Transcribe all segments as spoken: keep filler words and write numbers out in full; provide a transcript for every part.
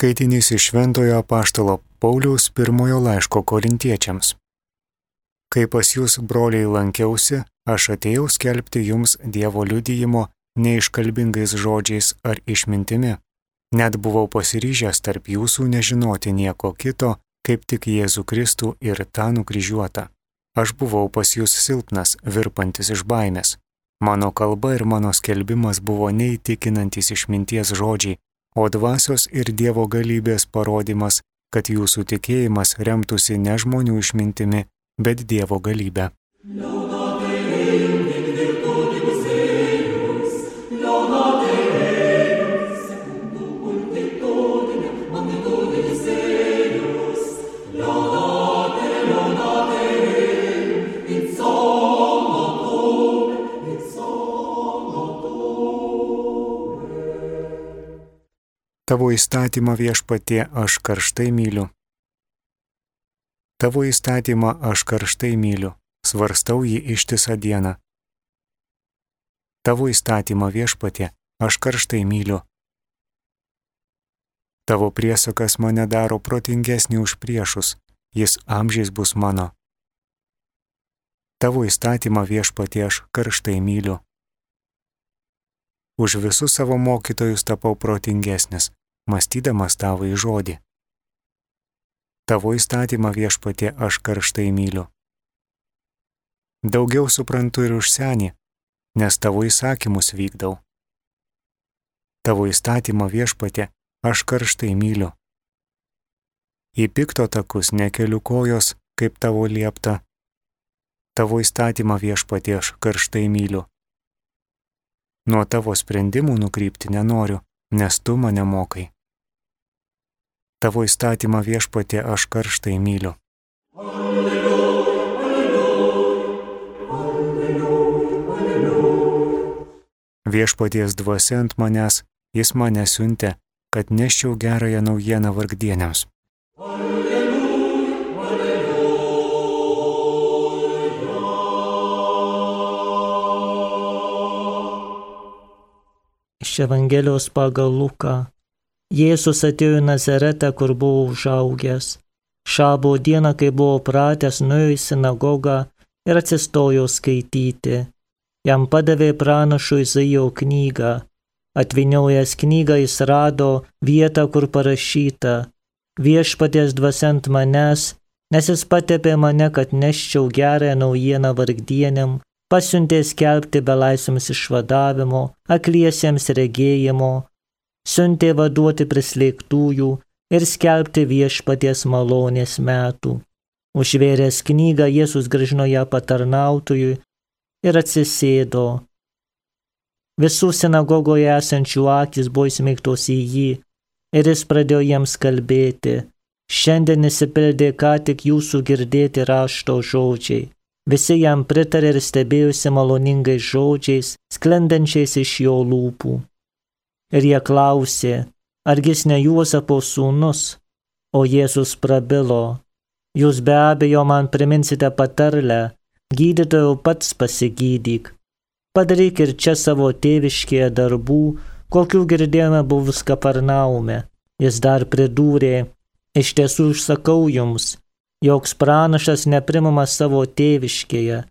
Skaitinys iš Šventojo apaštalo Pauliaus pirmojo laiško Korintiečiams. Kai pas jūs, broliai, lankiausi, aš atėjau skelbti jums Dievo liudijimo neiškalbingais žodžiais ar išmintimi. Net buvau pasiryžęs tarp jūsų nežinoti nieko kito, kaip tik Jėzų Kristų ir tą nukryžiuotą. Aš buvau pas jūs silpnas, virpantis iš baimės. Mano kalba ir mano skelbimas buvo neįtikinantis išminties žodžiai, o dvasios ir Dievo galybės parodymas, kad jūsų tikėjimas remtųsi ne žmonių išmintimi, bet Dievo galybę. Tavo įstatymą, Viešpatie, aš karštai myliu. Tavo įstatymą aš karštai myliu, svarstau jį ištisą dieną. Tavo įstatymą, Viešpatie, aš karštai myliu. Tavo priesakas mane daro protingesnį už priešus, jis amžiais bus mano. Tavo įstatymą, Viešpatie, aš karštai myliu. Už visus savo mokytojus tapau protingesnis, mąstydamas tavo į žodį. Tavo įstatymą, Viešpatie, aš karštai myliu. Daugiau suprantu ir už senį, nes tavo įsakymus vykdau. Tavo įstatymą, Viešpatie, aš karštai myliu. Į pikto takus nekeliu kojos, kaip tavo liepta. Tavo įstatymą, Viešpatie, aš karštai myliu. Nuo tavo sprendimų nukrypti nenoriu, nes tu mane mokai. Tavo įstatymą, Viešpatie, aš karštai myliu. Alleluja, alleluja, alleluja, alleluja. Viešpaties dvasia ant manęs, jis mane siuntė, kad neščiau gerąją naujieną vargdieniams. Iš Evangelijos pagal Luką. Jėzus atėjo į Nazaretą, kur buvo užaugęs. Šabo dieną, kai buvo pratęs, nuėjo į sinagogą ir atsistojo skaityti. Jam padavė pranašo Izaijo knygą. Atvyniojęs knygą jis rado vietą, kur parašyta: Viešpaties dvasia ant manęs, nes jis patepė mane, kad neščiau gerąją naujieną vargdieniam, pasiuntė skelbti belaisviams išvadavimo, akliesiems regėjimo, siuntė vaduoti prislėgtųjų ir skelbti Viešpaties malonės metų. Užvėręs knygą, Jėzus grąžino ją patarnautojui ir atsisėdo. Visų sinagogoje esančių akys buvo įsmeigtos į jį ir jis pradėjo jiems kalbėti: Šiandien išsipildė ką tik jūsų girdėti rašto žodžiai. Visi jam pritarė ir stebėjusi maloningais žodžiais, sklendančiais iš jo lūpų. Ir jie klausė: argi jis ne Juozapo sūnus? O Jėzus prabilo: Jūs be abejo man priminsite patarlę: gydytojau, pats pasigydyk. Padaryk ir čia savo tėviškėje darbų, kokių girdėjome buvus Kafarnaume. Jis dar pridūrė: iš tiesų sakau jums, joks pranašas neprimamas savo tėviškėje.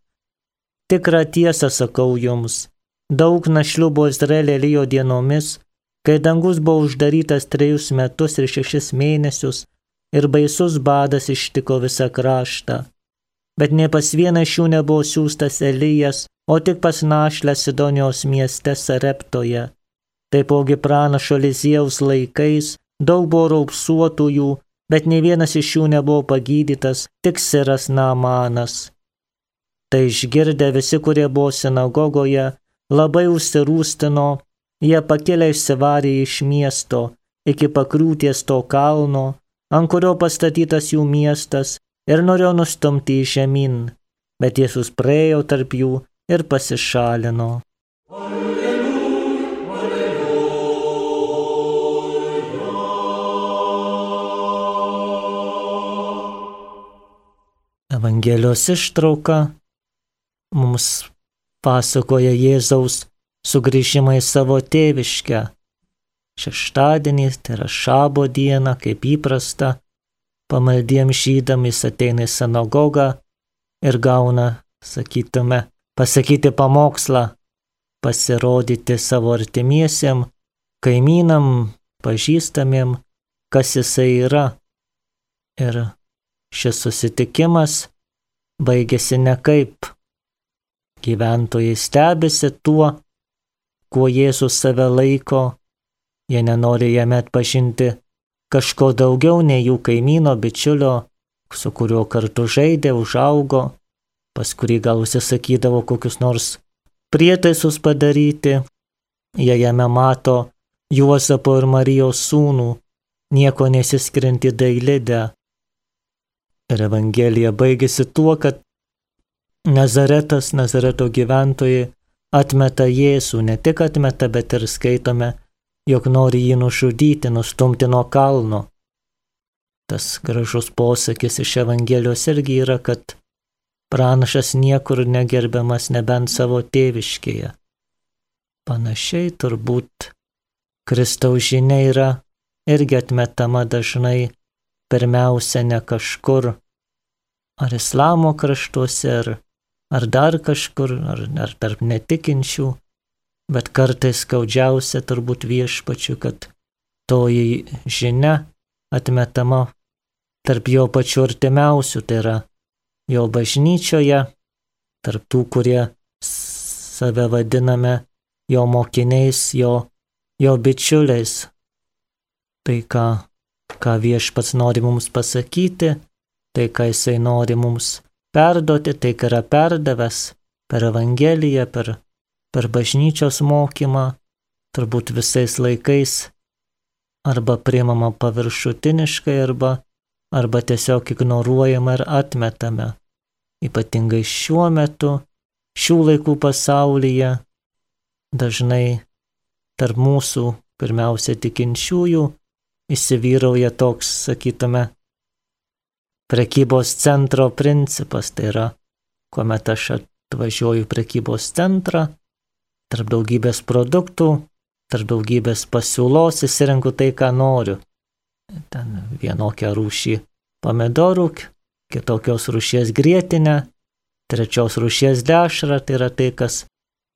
Tikrą tiesą sakau jums, daug našlių buvo Izraelio Elijo dienomis, kai dangus buvo uždarytas trejus metus ir šešis mėnesius ir baisus badas ištiko visą kraštą. Bet ne pas vieną iš jų nebuvo siųstas Elijas, o tik pas našlę Sidonijos mieste Sareptoje. Taipogi pranašo Eliziejaus laikais daug buvo raupsuotųjų, bet ne vienas iš jų nebuvo pagydytas, tik siras Naamanas. Tai išgirdę visi, kurie buvo sinagogoje, labai užsirūstino, jie pakėlė išsivarė iš miesto iki pakrūties to kalno, ant kurio pastatytas jų miestas, ir norėjo nustumti į žemyn, bet Jėzus praėjo tarp jų ir pasišalino. Evangelijos ištrauka mums pasakoja Jėzaus sugrįžimą į savo tėviškę. šeštadienį, tai yra šabo diena, kaip įprasta, pamaldiems žydams jis ateina į sinagogą ir gauna, sakytume, pasakyti pamokslą, pasirodyti savo artimiesiem, kaimynam, pažįstamiem, kas jisai yra. Ir šis susitikimas baigėsi nekaip. Gyventojai stebisi tuo, kuo Jėzus save laiko, jie nenori jame atpažinti kažko daugiau nei jų kaimyno, bičiulio, su kuriuo kartu žaidė, užaugo, pas kurį gal užsisakydavo kokius nors prietaisus padaryti. Jie jame mato Juozapo ir Marijos sūnų, nieko nesiskiriantį Dailidę. Ir Evangelija baigėsi tuo, kad Nazaretas, Nazareto gyventojai atmeta Jėzų, ne tik atmeta, bet ir skaitome, jog nori jį nužudyti, nustumti nuo kalno. Tas gražus posakis iš Evangelijos irgi yra, kad pranašas niekur negerbiamas nebent savo tėviškėje. Panašiai turbūt Kristaus žinia yra irgi atmetama dažnai, pirmiausia ne kažkur, ar islamo kraštuose, ar, ar dar kažkur, ar, ar tarp netikinčių, bet kartais skaudžiausia turbūt Viešpačiu, kad toji žinia atmetama tarp jo pačių artimiausių, tai yra jo bažnyčioje, tarp tų, kurie save vadiname jo mokiniais, jo, jo bičiuliais. Tai ką, ką Viešpats nori mums pasakyti, tai ką jisai nori mums perduoti, tai ką yra perdavęs per Evangeliją, per, per bažnyčios mokymą, turbūt visais laikais arba priimama paviršutiniškai, arba, arba tiesiog ignoruojama ir atmetame. Ypatingai šiuo metu, šių laikų pasaulyje, dažnai tarp mūsų, pirmiausia tikinčiųjų, įsivyrauja toks, sakytume, prekybos centro principas. Tai yra, kuomet aš atvažiuoju prekybos centrą, tarp daugybės produktų, tarp daugybės pasiūlos įsirenku tai, ką noriu. Ten vienokią rūšį pomidorų, kitokios rūšies grietinę, trečios rūšies dešrą, tai yra tai, kas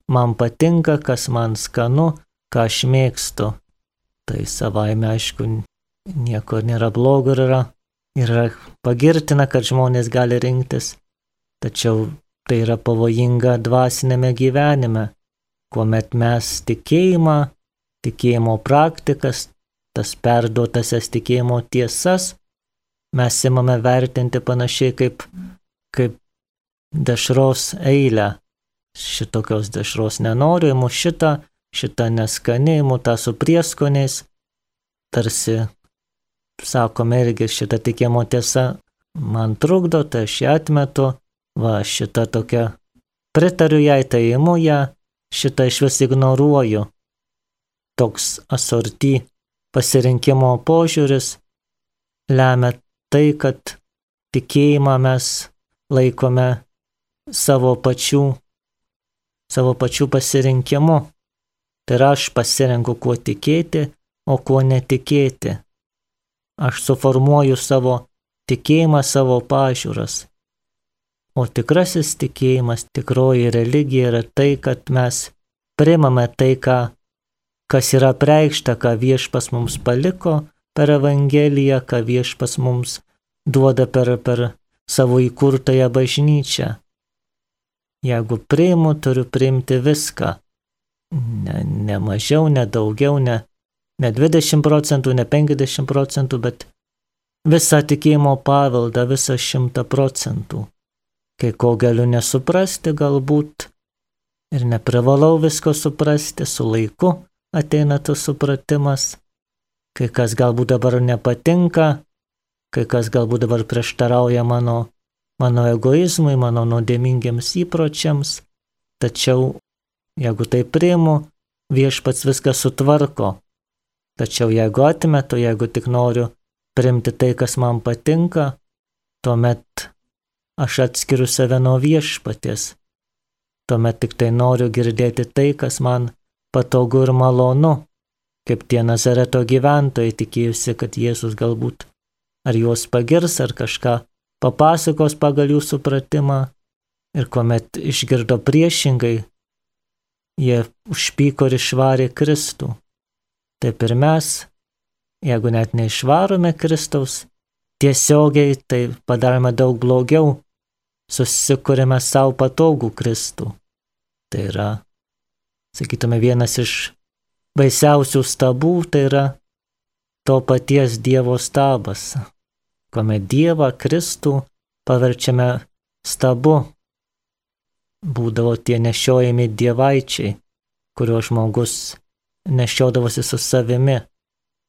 man patinka, kas man skanu, ką aš mėgstu. Tai savaime, aišku, nieko nėra blogo, yra, yra pagirtina, kad žmonės gali rinktis, tačiau tai yra pavojinga dvasinėme gyvenime, kuomet mes tikėjimą, tikėjimo praktikas, tas perduotasias tikėjimo tiesas, mes imame vertinti panašiai kaip, kaip dešros eilę. Šitokios dešros nenoriu, imu šitą, šitą neskaniai, imu tą su prieskoniais. Tarsi, sakome irgi, šitą tikėjimo tiesa man trukdo, tai aš ją atmetu, va šitą tokia pritariu jai, tai imu ją, šitą iš vis ignoruoju. Toks asorty pasirinkimo požiūris lemia tai, kad tikėjimą mes laikome savo pačių, savo pačių pasirinkimu. Tai yra, aš pasirenku, kuo tikėti, o kuo netikėti. Aš suformuoju savo tikėjimą, savo pažiūras. O tikrasis tikėjimas, tikroji religija yra tai, kad mes priimame tai, ką kas yra preikšta, ką Viešpas mums paliko per Evangeliją, ką Viešpas mums duoda per, per savo įkurtąją bažnyčią. Jeigu priimu, turiu priimti viską. Ne, ne mažiau, ne daugiau, ne, ne dvidešimt procentų, ne penkiasdešimt procentų, bet visą tikėjimo paveldą, visą šimtą procentų. Kai ko galiu nesuprasti galbūt ir neprivalau visko suprasti, su laiku ateina tas supratimas, kai kas galbūt dabar nepatinka, kai kas galbūt dabar prieštarauja mano, mano egoizmui, mano nuodėmingiams įpročiams, tačiau jeigu tai priimu, Viešpats viską sutvarko. Tačiau jeigu atmetu, jeigu tik noriu priimti tai, kas man patinka, tuomet aš atskiriu save nuo Viešpaties. Tuomet tik tai noriu girdėti tai, kas man patogu ir malonu. kaip tie Nazareto gyventojai tikėjusi, kad Jėzus galbūt ar juos pagirs, ar kažką papasakos pagal jų supratimą. Ir kuomet išgirdo priešingai, jie užpyko ir išvarė Kristų. Taip ir mes, jeigu net neišvarome Kristaus tiesiogiai, tai padarome daug blogiau, susikūrėme savo patogų Kristų. Tai yra, sakytume, vienas iš baisiausių stabų, tai yra to paties Dievo stabas, kuomet Dievą Kristų paverčiame stabu. Būdavo tie nešiojami dievaičiai, kurio žmogus nešiodavosi su savimi,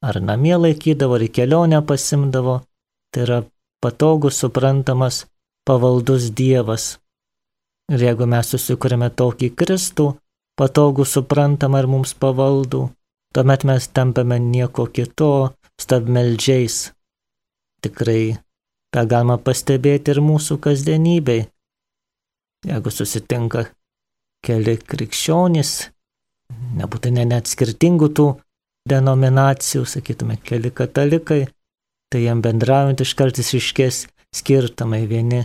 ar namie laikydavo, ar į kelionę pasimdavo. Tai yra patogus, suprantamas, pavaldus Dievas. Ir jeigu mes susikūrėme tokį Kristų, patogų, suprantamą ir mums pavaldų, tuomet mes tampame nieko kito, stabmeldžiais. Tikrai tą galima pastebėti ir mūsų kasdienybei. Jeigu susitinka keli krikščionys, nebūtinai net skirtingų tų denominacijų, sakytume, keli katalikai, tai jiem bendraujant iškart išryškės skirtumai. Vieni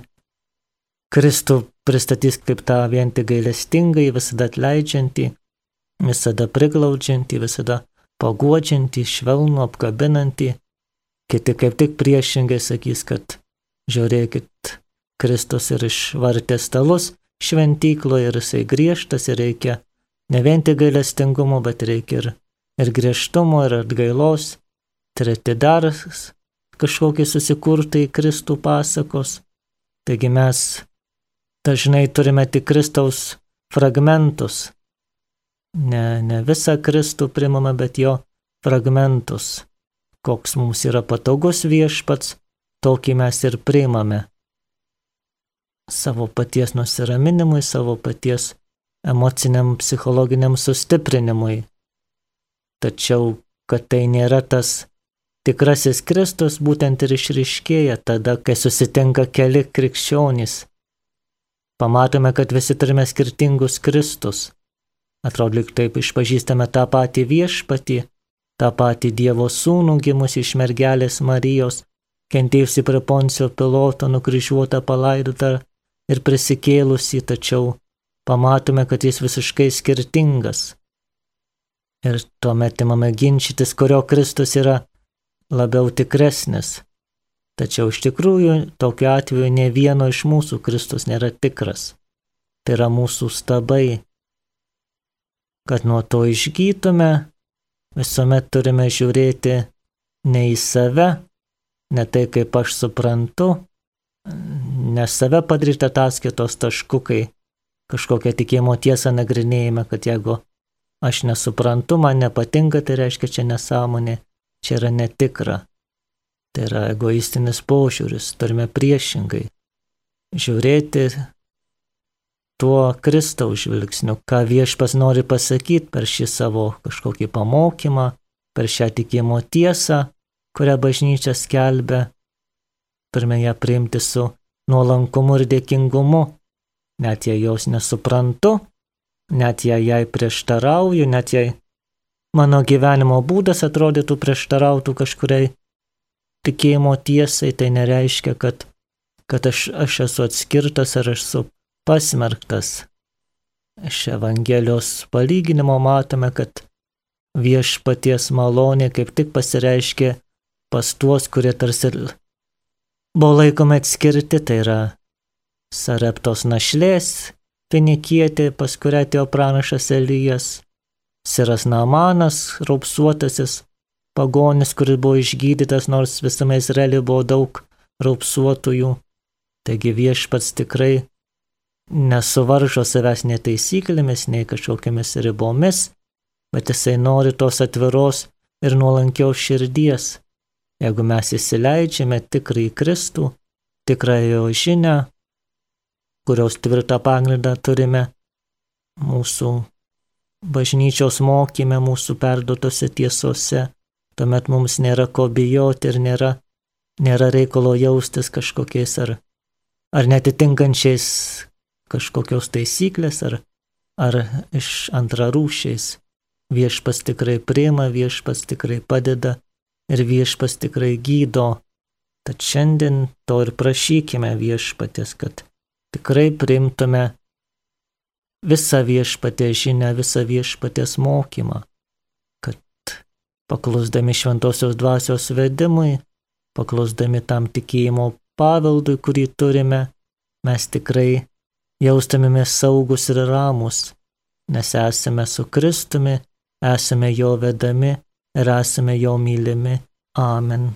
Kristų pristatys kaip tą vien tik gailestingąjį, visada atleidžiantį, visada priglaudžiantį, visada paguodžiantį, švelnų, apkabinantį. Kiti kaip tik priešingai sakys, kad žiūrėkit, Kristus ir išvartė stalus šventykloje ir jisai griežtas ir reikia ne vien tik gailestingumo, bet reikia ir, ir griežtumo, ir atgailos. Treti dar kažkokie susikurtai Kristų pasakos. Taigi mes dažnai turime tik Kristaus fragmentus. Ne, ne visą Kristų primame, bet jo fragmentus. Koks mums yra patogus viešpats, tokį mes ir priimame. Savo paties nusiraminimui, savo paties emociniam, psichologiniam sustiprinimui. Tačiau, kad tai nėra tas tikrasis Kristus, būtent ir išryškėja tada, kai susitinka keli krikščionys. Pamatome, kad visi turime skirtingus Kristus. Atrodo, lyg taip išpažįstame tą patį viešpatį, tą patį Dievo sūnų gimusį iš mergelės Marijos, kentėjusi prie Poncio Piloto, nukryžiuotą, palaidotą ir prisikėlusi, tačiau pamatome, kad jis visiškai skirtingas. Ir tuomet imame ginčytis, kurio Kristus yra labiau tikresnis. Tačiau iš tikrųjų, tokiu atveju ne vieno iš mūsų Kristus nėra tikras. Tai yra mūsų stabai. Kad nuo to išgytume, visuomet turime žiūrėti ne į save, ne tai, kaip aš suprantu, ne save padaryti ataskaitos tašku, kai kažkokią tikėjimo tiesą nagrinėjame, kad jeigu aš nesuprantu, man nepatinka, tai reiškia čia nesąmonė, čia yra netikra. Tai yra egoistinis požiūris, turime priešingai žiūrėti tuo Kristaus žvilgsniu, ką viešpas nori pasakyti per šį savo kažkokį pamokymą, per šią tikėjimo tiesą, kurią bažnyčia skelbia. Turime ją priimti su nuolankumu ir dėkingumu, net jei jos nesuprantu, net jei jai prieštarauju, net jei mano gyvenimo būdas atrodytų prieštarautų kažkuriai tikėjimo tiesai, tai nereiškia, kad, kad aš, aš esu atskirtas ar aš esu pasmerktas. Iš Evangelijos palyginimo matome, kad viešpaties malonė kaip tik pasireiškė pas tuos, kurie tarsi buvo laikomi atskirti, tai yra Sareptos našlės finikietė, pas kurią atėjo pranašas Elijas, Siras Naamanas, raupsuotasis pagonis, kuris buvo išgydytas, nors visame Izraelyje buvo daug raupsuotųjų. Taigi viešpats tikrai nesuvaržo savęs nei taisyklėmis, nei kažkokiamis ribomis, bet jisai nori tos atviros ir nuolankios širdies. Jeigu mes įsileidžiame tikrąjį Kristų, tikrąją žinią, kurios tvirtą pagrindą turime mūsų bažnyčios mokyme, mūsų perduotose tiesose, tuomet mums nėra ko bijoti ir nėra, nėra reikalo jaustis kažkokiais ar, ar netitinkančiais kažkokios taisyklės ar, ar iš antrarūšiais. Viešpas tikrai priima, viešpas tikrai padeda ir viešpas tikrai gydo. Tad šiandien to ir prašykime viešpatės, kad tikrai priimtume visą viešpatės žinią, visą viešpatės mokymą, kad paklusdami šventosios dvasios vedimui, paklusdami tam tikėjimo paveldui, kurį turime, mes tikrai jaustumėmės saugus ir ramus, nes esame su Kristumi, esame jo vedami ir esame jo mylimi. Amen.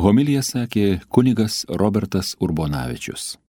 Homiliją sakė kunigas Robertas Urbonavičius.